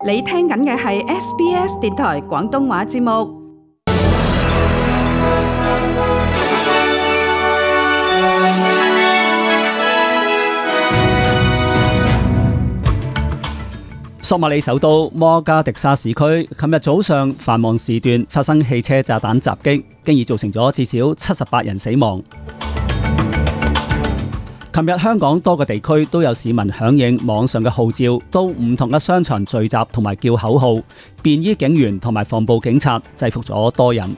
你聽緊嘅係 SBS 電台廣東話節目。索馬里首都摩加迪沙市區，琴日早上繁忙時段發生汽車炸彈襲擊，經已造成咗至少78人死亡。琴日香港多個地區都有市民響應網上嘅號召，到唔同嘅商場聚集同埋叫口號，便衣警員同埋防暴警察制服咗多人。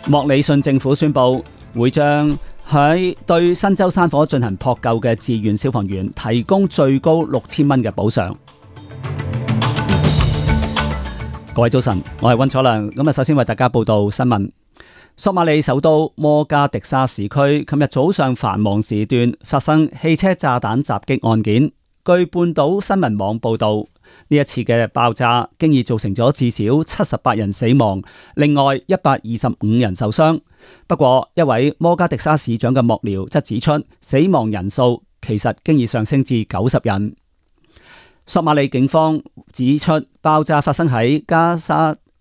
莫里遜政府宣布會將喺對新州山火進行撲救嘅志願消防員提供最高6000蚊嘅補償。各位早晨，我係溫楚良。咁首先為大家報道新聞。索馬里首都摩加迪沙市區琴日早上繁忙時段發生汽車炸彈襲擊案件。據半島新聞網報道，呢一次嘅爆炸經已造成咗至少78人死亡，另外125人受傷。不過，一位摩加迪沙市長嘅幕僚則指出，死亡人數其實經已上升至90人。索馬里警方指出，爆炸發生喺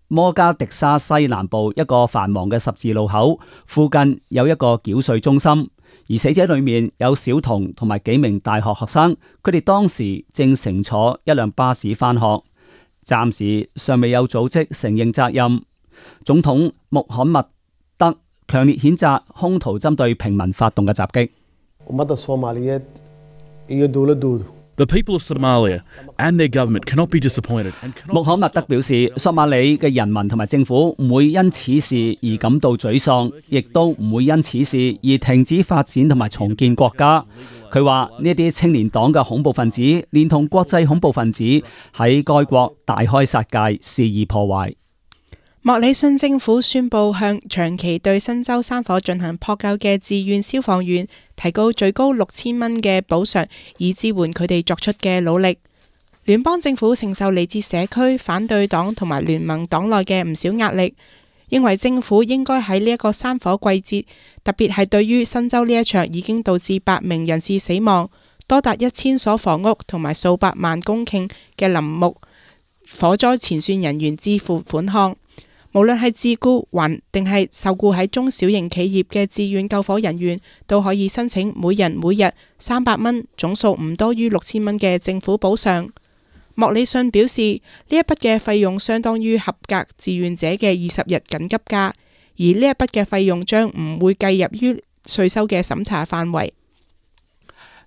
摩加迪沙西南部一個繁忙嘅十字路口，附近有一個繳稅中心，而死者裏面有小童同埋幾名大學學生，佢哋當時正乘坐一輛巴士返學。暫時尚未有組織承認責任。總統穆罕默德強烈譴責兇徒針對平民發動嘅襲擊。The people of Somalia and their government cannot be disappointed. 穆罕默德表示，索馬里嘅人民同埋政府唔會因此事而感到沮喪，亦都唔會因此事而停止發展同埋重建國家。佢話呢啲青年黨嘅恐怖分子，連同國際恐怖分子喺該國大開殺戒，肆意破壞。莫里遜政府宣布向長期對新州山火進行撲救嘅志願消防員提高最高6000蚊嘅補償，以支援佢哋作出嘅努力。聯邦政府承受嚟自社區反對黨同埋聯盟黨內嘅唔少壓力，認為政府應該喺呢一個山火季節，特別係對於新州呢一場已經導致8名人士死亡、多達1000所房屋同埋數百萬公頃嘅林木火災前線人員支付款項。無論係自僱還定係受僱喺中小型企業嘅志願救火人員，都可以申請每人每日300蚊，總數唔多於6000蚊嘅政府補償。莫里遜表示，呢一筆嘅費用相當於合格志願者嘅20日緊急假，而呢一筆嘅費用將唔會計入於稅收嘅審查範圍。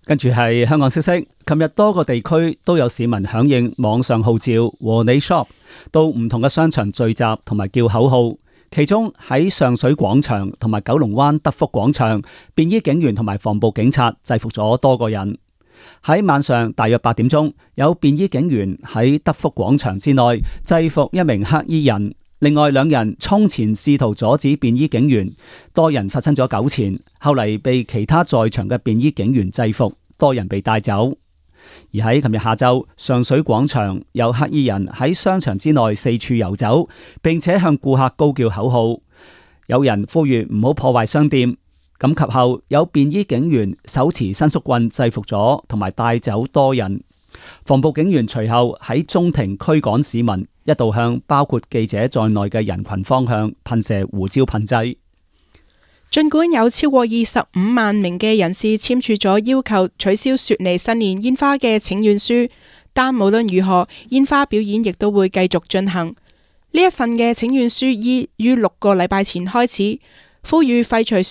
跟住係香港消息，琴日多個地區都有市民響應網上號召和你 shop， 到唔同嘅商場聚集同埋叫口號。其中喺上水廣場同埋九龍灣德福廣場，便衣警員同埋防暴警察制服咗多個人。喺晚上大約8點鐘，有便衣警員喺德福廣場之內制服一名黑衣人，另外2人衝前試圖阻止便衣警員，多人發生咗糾纏，後嚟被其他在場嘅便衣警員制服，多人被帶走。而喺琴日下晝，上水廣場有黑衣人喺商場之內四處遊走，並且向顧客高叫口號，有人呼籲唔好破壞商店。咁及後有便衣警員手持伸縮棍制服咗同埋帶走多人。防暴警員隨後喺中庭驅趕市民，一度向包括記者在內嘅人群方向噴射胡椒噴劑。儘管有超過25萬名嘅人士簽署咗要求取消雪梨新年煙花嘅請願書，但無論如何，煙花表演亦都會繼續進行。呢一份嘅請願書於6個禮拜前開始，呼籲廢除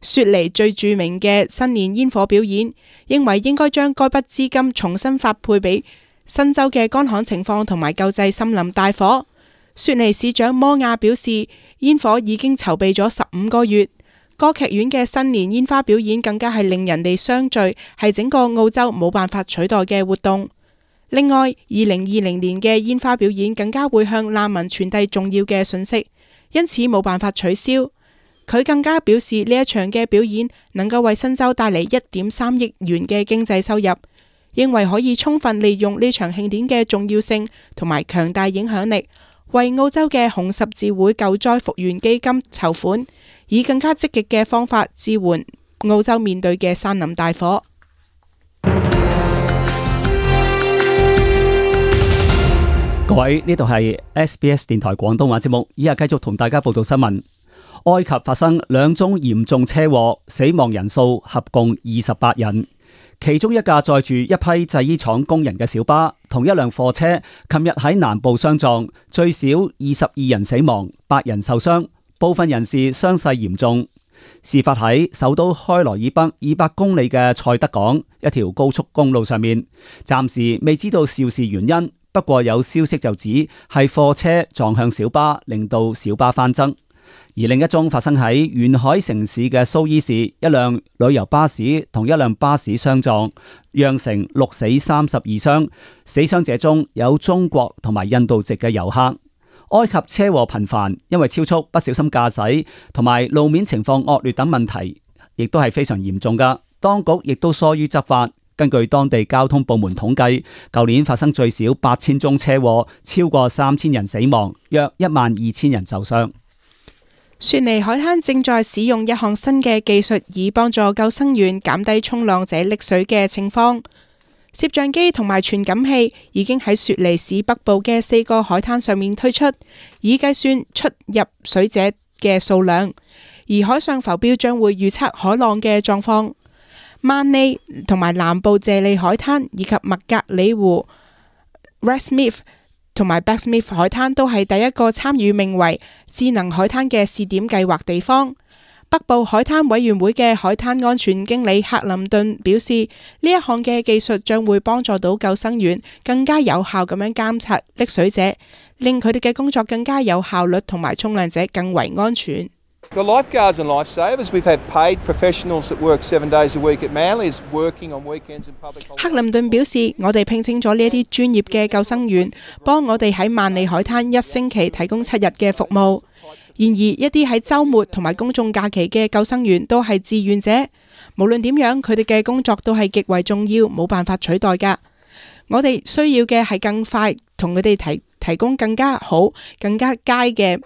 雪梨最著名嘅新年煙火表演，認為應該將該筆資金重新發配俾新州嘅乾旱情況同埋救濟森林大火。雪梨市長摩亞表示，煙火已經籌備咗15個月。歌劇院嘅新年煙花表演更加係令人哋相聚，係整個澳洲冇辦法取代嘅活動。另外，2020年嘅煙花表演更加會向難民傳遞重要嘅訊息，因此冇辦法取消。佢更加表示呢一場嘅表演能夠為新州帶嚟1.3億元嘅經濟收入，認為可以充分利用呢場慶典嘅重要性同埋強大影響力，為澳洲嘅紅十字會救災復原基金籌款，以更加積極嘅方法支援澳洲面對嘅山林大火。各位，呢度係 SBS 電台廣東話節目，以下繼續同大家報道新聞。埃及發生2宗嚴重車禍，死亡人數合共28人。其中一架載住一批製衣廠工人嘅小巴，同一輛貨車，琴日喺南部相撞，最少22人死亡，8人受傷，部分人士傷勢嚴重。事發喺首都開羅以北200公里嘅塞德港一條高速公路上面，暫時未知道肇事原因。不過有消息就指係貨車撞向小巴，令到小巴翻側。而另一宗發生喺沿海城市嘅蘇伊士，一輛旅遊巴士同一輛巴士相撞，釀成6死32傷。死傷者中有中國同埋印度籍嘅遊客。埃及車禍頻繁，因為超速、不小心駕駛同埋路面情況惡劣等問題，亦都係非常嚴重㗎。當局亦都疏於執法。根據當地交通部門統計，舊年發生最少8000宗車禍，超過3000人死亡，約12000人受傷。雪梨海灘正在使用一項新嘅技術，以幫助救生員減低衝浪者溺水嘅情況。攝像機同埋傳感器已經喺雪梨市北部嘅4個海灘上面推出，以計算出入水者嘅數量。而海上浮標將會預測海浪嘅狀況。曼利同埋南部謝利海灘以及麥格里湖 Westmeath 同埋 Backsmith 海灘都係第一個參與名為智能海灘嘅試點計劃地方。北部海灘委員會嘅海灘安全經理克林頓表示，呢一項嘅技術將會幫助到救生員更加有效咁樣監察溺水者，令佢哋嘅工作更加有效率，同埋衝浪者更為安全。The lifeguards and lifesavers, we've had paid professionals that work 7 days a week at Manly, is working on weekends and public holidays. 克林頓表示，我哋聘請咗呢一啲專業嘅救生員，幫我哋喺曼利海灘1星期提供7日嘅服務。然而，一啲喺週末同埋公眾假期嘅救生員都係志願者，無論點樣，佢哋嘅工作都係極為重要，冇辦法取代㗎。我哋需要嘅係更快同佢哋提供更加好、更加佳嘅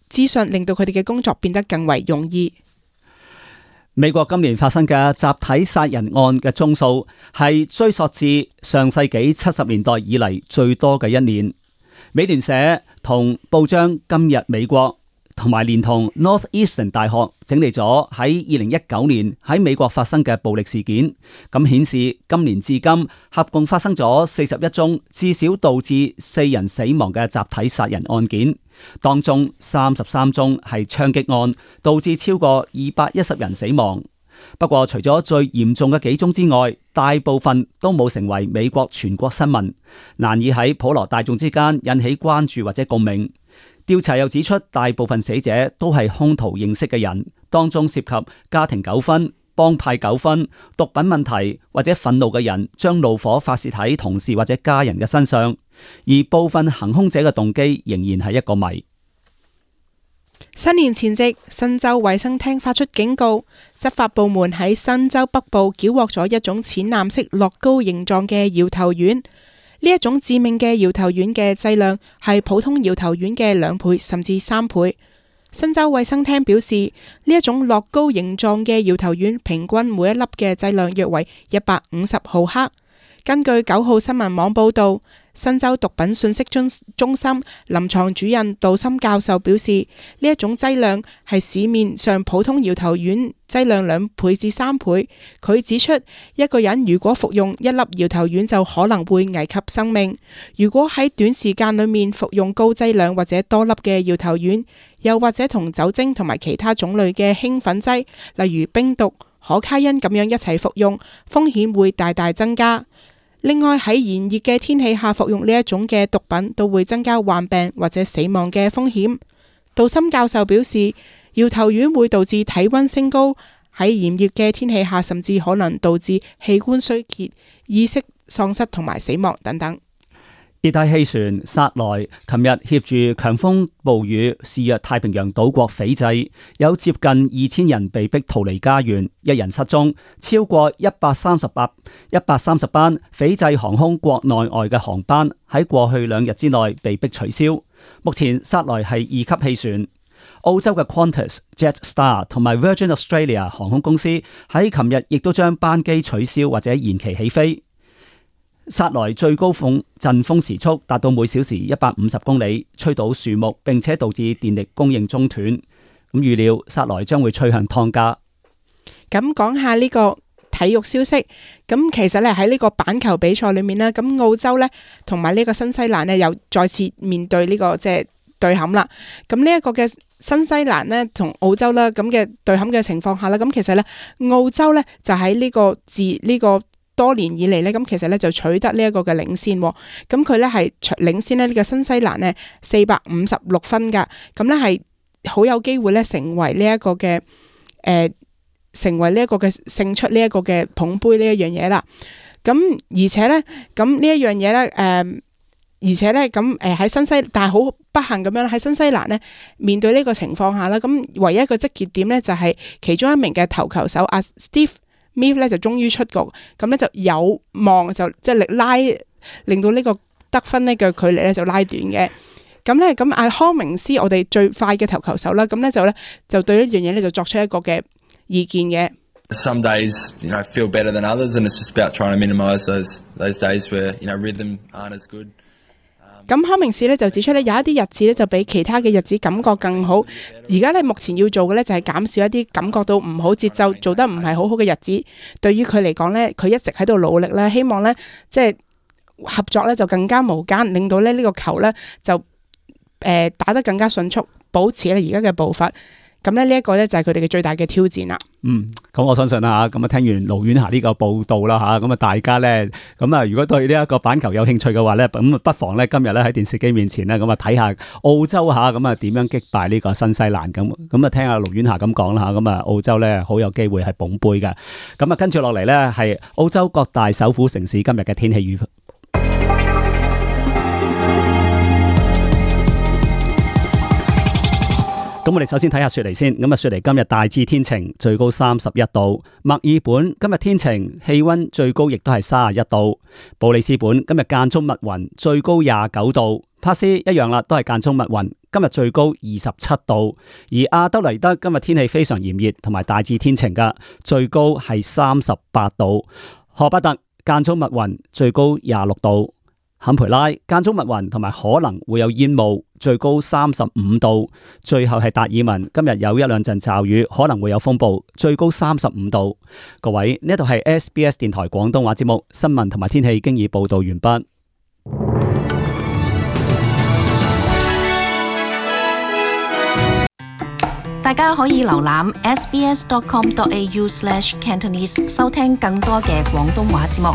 資訊，令到佢哋嘅工作變得更為容易。美國今年發生嘅集體殺人案嘅宗數係追溯至上世紀70年代以嚟最多嘅一年。美聯社同報章今日美國同埋連同 Northeastern 大學整理咗喺2019年喺美國發生嘅暴力事件，咁顯示今年至今合共發生咗41宗至少導致4人死亡嘅集體殺人案件，當中33宗係槍擊案，導致超過210人死亡。不過除咗最嚴重嘅幾宗之外，大部分都冇成為美國全國新聞，難以喺普羅大眾之間引起關注或者共鳴。調查又指出，大部分死者都係兇徒認識嘅人，當中涉及家庭糾紛、幫派糾紛、毒品問題或者憤怒嘅人將怒火發洩喺同事或者家人嘅身上，而部分行兇者嘅動機仍然係一個謎。新年前夕，新州衛生廳發出警告，執法部門喺新州北部繳獲咗一種淺藍色樂高形狀嘅搖頭丸。呢一種致命嘅搖頭丸嘅劑量係普通搖頭丸嘅2倍甚至3倍。新州衛生廳表示，呢一種樂高形狀嘅搖頭丸平均每一粒嘅劑量約為150毫克。根據9號新聞網報道，新州毒品信息中心臨床主任杜森教授表示，呢一種劑量係市面上普通搖頭丸劑量2倍至3倍。佢指出，一個人如果服用1粒搖頭丸就可能會危及生命。如果喺短時間裏面服用高劑量或者多粒嘅搖頭丸，又或者同酒精同埋其他種類嘅興奮劑，例如冰毒、可卡因咁樣一齊服用，風險會大大增加。另外，喺炎熱嘅天氣下服用呢一種嘅毒品都會增加患病或者死亡嘅風險。杜森教授表示，搖頭丸會導致體溫升高，喺炎熱嘅天氣下甚至可能導致器官衰竭、意識喪失同埋死亡等等。熱帶氣旋薩萊琴日挾住強風暴雨肆虐太平洋島國斐濟，有接近2000人被迫逃離家園，1人失蹤，超過130班斐濟航空國內外嘅航班喺過去2日之內被迫取消。目前薩萊係2級氣旋。澳洲嘅 Qantas、Jetstar 同埋 Virgin Australia 航空公司喺琴日亦都將班機取消或者延期起飛。薩萊最高陣風時速達到每小時150公里，吹倒樹木，並且導致電力供應中斷。咁預料薩萊將會趨向湯加。咁講下呢個體育消息，咁其實咧喺呢個板球比賽裏面呢，咁澳洲呢同埋呢個新西蘭呢又再次面對呢個即係對撼啦。咁呢一個嘅新西蘭呢同澳洲啦咁嘅對撼嘅情況下啦，咁其實呢澳洲呢就喺呢個多年以嚟呢，咁其實呢就取得呢一個嘅領先，咁佢呢係領先呢個新西蘭呢456分噶，咁呢係好有機會呢成為呢一個嘅勝出呢一個嘅捧杯呢一樣嘢啦。咁而且呢，咁呢一樣嘢呢，而且呢，咁喺但係好不幸咁樣喺新西蘭呢面對呢個情況下啦，咁唯一一個積極點呢，就係其中一名嘅投球手阿 Steve Smith 咧就終於出局，咁咧就有望就即係令到呢個得分呢嘅距離咧就拉短嘅。咁阿康明斯我哋最快嘅投球手啦，咁咧就對一樣嘢咧就作出一個嘅意見嘅。Some days, feel better than others, and it's just about trying to minimise those days where rhythm aren't as good. 咁康明士咧就指出咧，有一啲日子咧就比其他嘅日子感覺更好。而家咧目前要做嘅咧就係減少一啲感覺到唔好節奏做得唔係好好嘅日子。對於佢嚟講咧，佢一直喺度努力咧，希望咧即係合作咧就更加無間，令到咧呢個球咧就打得更加迅速，保持咧而家嘅步伐。咁咧呢一個咧就係佢哋嘅最大嘅挑戰啦。咁我相信啦嚇，咁啊聽完盧婉霞呢個報道啦嚇，咁啊大家咧，咁啊如果對呢一個板球有興趣嘅話咧，咁不妨咧今日咧喺電視機面前咧，咁啊睇下澳洲嚇，咁啊點樣擊敗呢個新西蘭咁啊聽下盧婉霞咁講啦嚇，咁啊澳洲咧好有機會係捧杯嘅。咁啊跟住落嚟咧係澳洲各大首府城市今日嘅天氣預報。咁我哋首先睇下雪梨先，咁啊雪梨今日大致天晴，最高31度；墨爾本今日天晴，氣溫最高亦都係31度；布里斯本今日間中密雲，最高29度；帕斯一樣啦，都係間中密雲，今日最高27度；而阿德萊德今日天氣非常炎熱，同埋大致天晴噶，最高係38度；荷伯特間中密雲，最高26度。坎培拉間中密雲同埋可能會有煙霧，最高35度。最後係達爾文，今日有一兩陣驟雨，可能會有風暴，最高35度。各位，呢度係 SBS 電台廣東話節目，新聞同埋天氣經已報道完畢。大家可以瀏覽 sbs.com.au/cantonese 收聽更多嘅廣東話節目。